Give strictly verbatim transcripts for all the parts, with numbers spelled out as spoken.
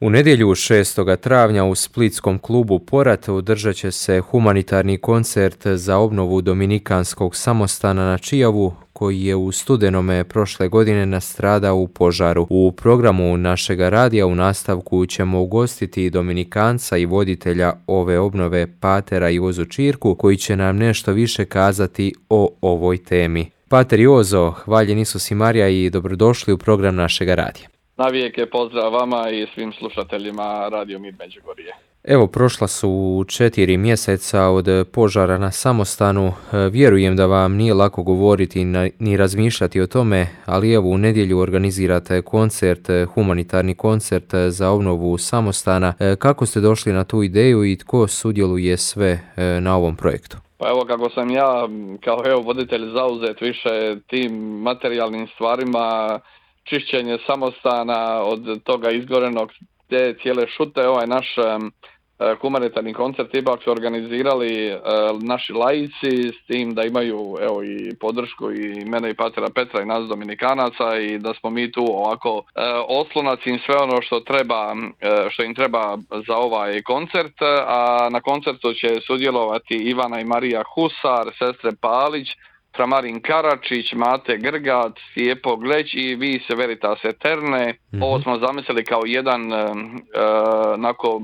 U nedjelju šestog travnja u splitskom klubu Porat održat će se humanitarni koncert za obnovu dominikanskog samostana na Čijavu, koji je u studenome prošle godine nastradao u požaru. U programu našega radija u nastavku ćemo ugostiti dominikanca i voditelja ove obnove Patera Jozu Čirku, koji će nam nešto više kazati o ovoj temi. Pater Jozo, hvaljen Isus i Marija i dobrodošli u program našega radija. Navijek je pozdrav vama i svim slušateljima Radio Mir Međugorje. Evo, prošla su četiri mjeseca od požara na samostanu. Vjerujem da vam nije lako govoriti ni razmišljati o tome, ali evo u nedjelju organizirate koncert, humanitarni koncert za obnovu samostana. Kako ste došli na tu ideju i tko sudjeluje sve na ovom projektu? Pa evo, kako sam ja kao evo voditelj zauzet više tim materijalnim stvarima, čišćenje samostana od toga izgorenog te cijele šute, ovaj naš um, humanitarni koncert ipak su organizirali uh, naši laici s tim da imaju evo i podršku i mene i Patera Petra i nas Dominikanaca i da smo mi tu ovako uh, oslonac im sve ono što treba, uh, što im treba za ovaj koncert, a na koncertu će sudjelovati Ivana i Marija Husar, sestre Palić, Framarin Karačić, Mate Grgat, Stijepo Gleć i Vis Veritas Eterne. Mm-hmm. Ovo smo zamislili kao jedan uh, onako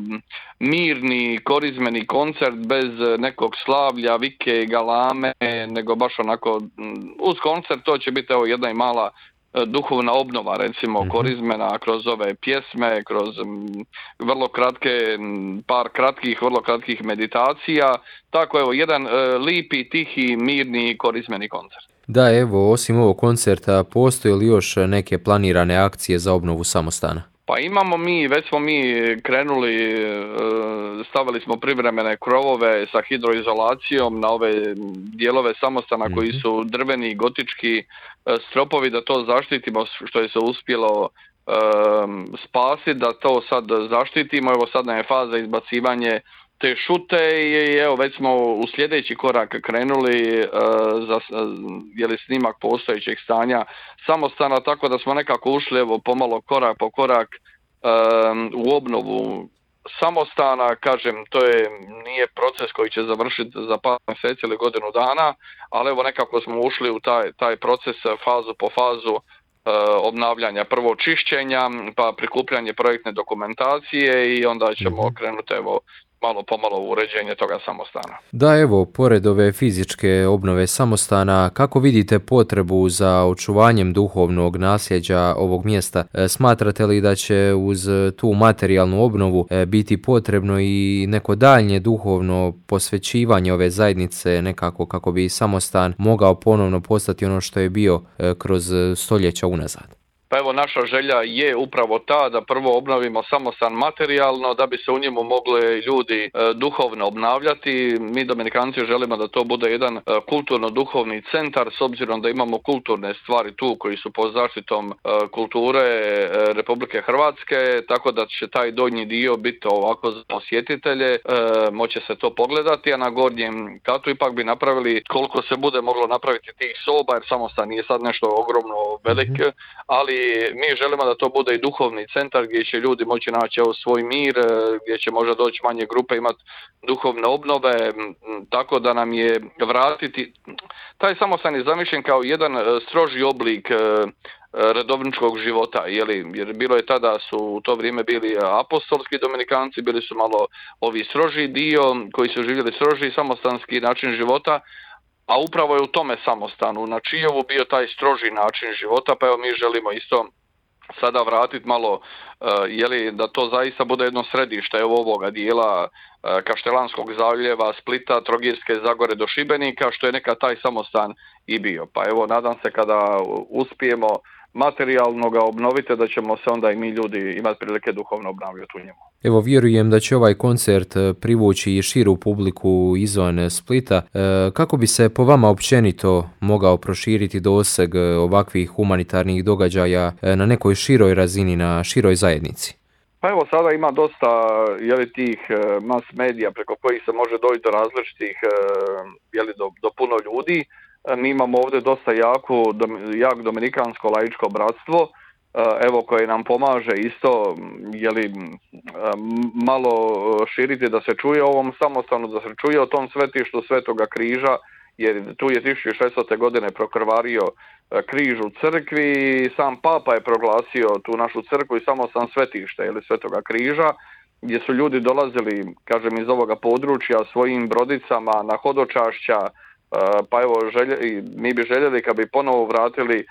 mirni, korizmeni koncert bez nekog slavlja, vike i galame, nego baš onako uz koncert to će biti evo jedna i mala duhovna obnova, recimo, mm-hmm. korizmena kroz ove pjesme, kroz m, vrlo kratke, par kratkih, vrlo kratkih meditacija. Tako evo, jedan e, lipi, tihi, mirni, korizmeni koncert. Da, evo, osim ovog koncerta, postoje li još neke planirane akcije za obnovu samostana? Pa imamo mi, već smo mi krenuli, stavili smo privremene krovove sa hidroizolacijom na ove dijelove samostana mm-hmm. koji su drveni, gotički stropovi, da to zaštitimo što je se uspjelo um, spasiti, da to sad zaštitimo. Evo sad nam je faza izbacivanje te šute i evo već smo u sljedeći korak krenuli uh, za je li snimak postojećeg stanja samostana, tako da smo nekako ušli evo pomalo korak po korak um, u obnovu samostana. Kažem, to je nije proces koji će završiti za par mjeseci ili godinu dana, ali evo nekako smo ušli u taj, taj proces fazu po fazu uh, obnavljanja, prvo čišćenja, pa prikupljanje projektne dokumentacije i onda ćemo mm-hmm. krenuti evo malo pomalo uređenje toga samostana. Da, evo, pored ove fizičke obnove samostana, kako vidite potrebu za očuvanjem duhovnog nasljeđa ovog mjesta? Smatrate li da će uz tu materijalnu obnovu biti potrebno i neko daljnje duhovno posvećivanje ove zajednice nekako kako bi samostan mogao ponovno postati ono što je bio kroz stoljeća unazad? Pa evo, naša želja je upravo ta da prvo obnovimo samostan materijalno, da bi se u njemu mogli ljudi e, duhovno obnavljati. Mi Dominikanci želimo da to bude jedan e, kulturno-duhovni centar, s obzirom da imamo kulturne stvari tu koji su pod zaštitom e, kulture e, Republike Hrvatske, tako da će taj donji dio biti ovako za posjetitelje, e, moće se to pogledati, a na gornjem katu ipak bi napravili koliko se bude moglo napraviti tih soba, jer samostan nije sad nešto ogromno velik, mm-hmm. ali mi želimo da to bude i duhovni centar gdje će ljudi moći naći evo svoj mir, gdje će možda doći manje grupe, imati duhovne obnove, tako da nam je vratiti. Taj samostan je zamišljen kao jedan stroži oblik redovničkog života, jeli? Jer bilo je tada su u to vrijeme bili apostolski dominikanci, bili su malo ovi stroži dio koji su živjeli stroži samostanski način života. A upravo je u tome samostanu na Čijevu bio taj stroži način života, pa evo mi želimo isto sada vratiti malo, uh, jeli, da to zaista bude jedno središte evo ovoga dijela uh, Kaštelanskog zaljeva, Splita, Trogirske Zagore do Šibenika, što je nekad taj samostan i bio. Pa evo, nadam se kada uspijemo materijalno ga obnovite, da ćemo se onda i mi ljudi imati prilike duhovno obnavljati u njemu. Evo, vjerujem da će ovaj koncert privući i širu publiku izvan Splita. Kako bi se po vama općenito mogao proširiti doseg ovakvih humanitarnih događaja na nekoj široj razini, na široj zajednici? Pa evo, sada ima dosta jeli, tih mass medija preko kojih se može doći do različitih, jeli, do, do puno ljudi. Mi imamo ovdje dosta jako, jak dominikansko laičko bratstvo evo koji nam pomaže isto jeli, malo širiti da se čuje o ovom samostanu, da se čuje o tom svetištu Svetoga križa, jer tu je tisuću šeststote godine prokrvario križ u crkvi i sam Papa je proglasio tu našu crkvu i samostan svetište jeli, Svetoga križa, gdje su ljudi dolazili, kažem, iz ovoga područja svojim brodicama na hodočašća, pa evo želje, mi bi željeli kad bi ponovo vratili,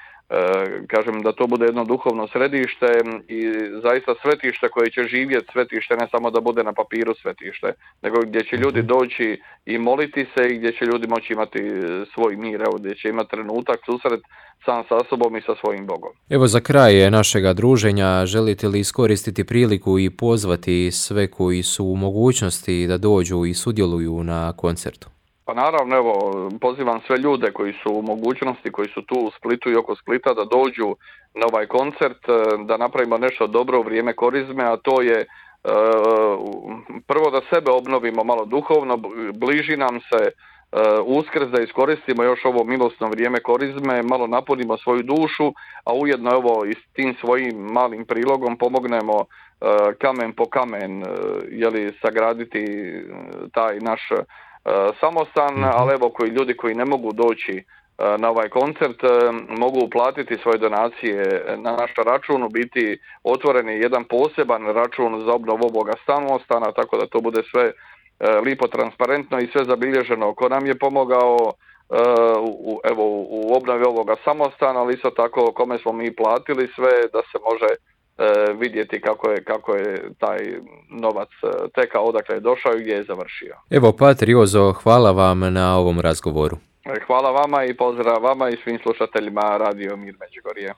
kažem, da to bude jedno duhovno središte i zaista svetište koje će živjeti, svetište ne samo da bude na papiru svetište, nego gdje će ljudi doći i moliti se i gdje će ljudi moći imati svoj mir, evo, gdje će imati trenutak susret sam sa sobom i sa svojim Bogom. Evo za kraj našega druženja, želite li iskoristiti priliku i pozvati sve koji su u mogućnosti da dođu i sudjeluju na koncertu? Pa naravno, evo, pozivam sve ljude koji su u mogućnosti, koji su tu u Splitu i oko Splita da dođu na ovaj koncert, da napravimo nešto dobro u vrijeme korizme, a to je e, prvo da sebe obnovimo malo duhovno, bliži nam se e, Uskrs, da iskoristimo još ovo milosno vrijeme korizme, malo napunimo svoju dušu, a ujedno evo i s tim svojim malim prilogom pomognemo e, kamen po kamen, e, jeli, sagraditi taj naš samostan, ali evo koji ljudi koji ne mogu doći na ovaj koncert mogu uplatiti svoje donacije na naš račun, u biti otvoren je jedan poseban račun za obnovu ovoga samostana, tako da to bude sve lipo transparentno i sve zabilježeno ko nam je pomogao u, evo, u obnovi ovoga samostana, ali isto tako kome smo mi platili sve, da se može vidjeti kako je, kako je taj novac tekao, odakle je došao i gdje je završio. Evo, Pater Jozo, hvala vam na ovom razgovoru. Hvala vama i pozdrav vama i svim slušateljima Radio Mir Međugorje.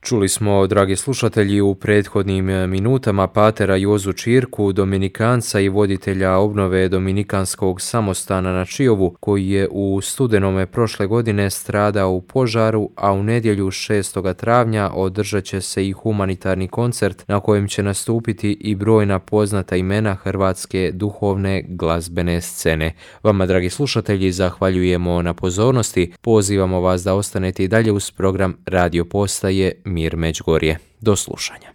Čuli smo, dragi slušatelji, u prethodnim minutama patera Jozu Čirku, dominikanca i voditelja obnove dominikanskog samostana na Čiovu, koji je u studenome prošle godine stradao u požaru, a u nedjelju šestog travnja održat će se i humanitarni koncert na kojem će nastupiti i brojna poznata imena hrvatske duhovne glazbene scene. Vama, dragi slušatelji, zahvaljujemo na pozornosti. Pozivamo vas da ostanete i dalje uz program radio postaje Mir Međugorje. Do slušanja.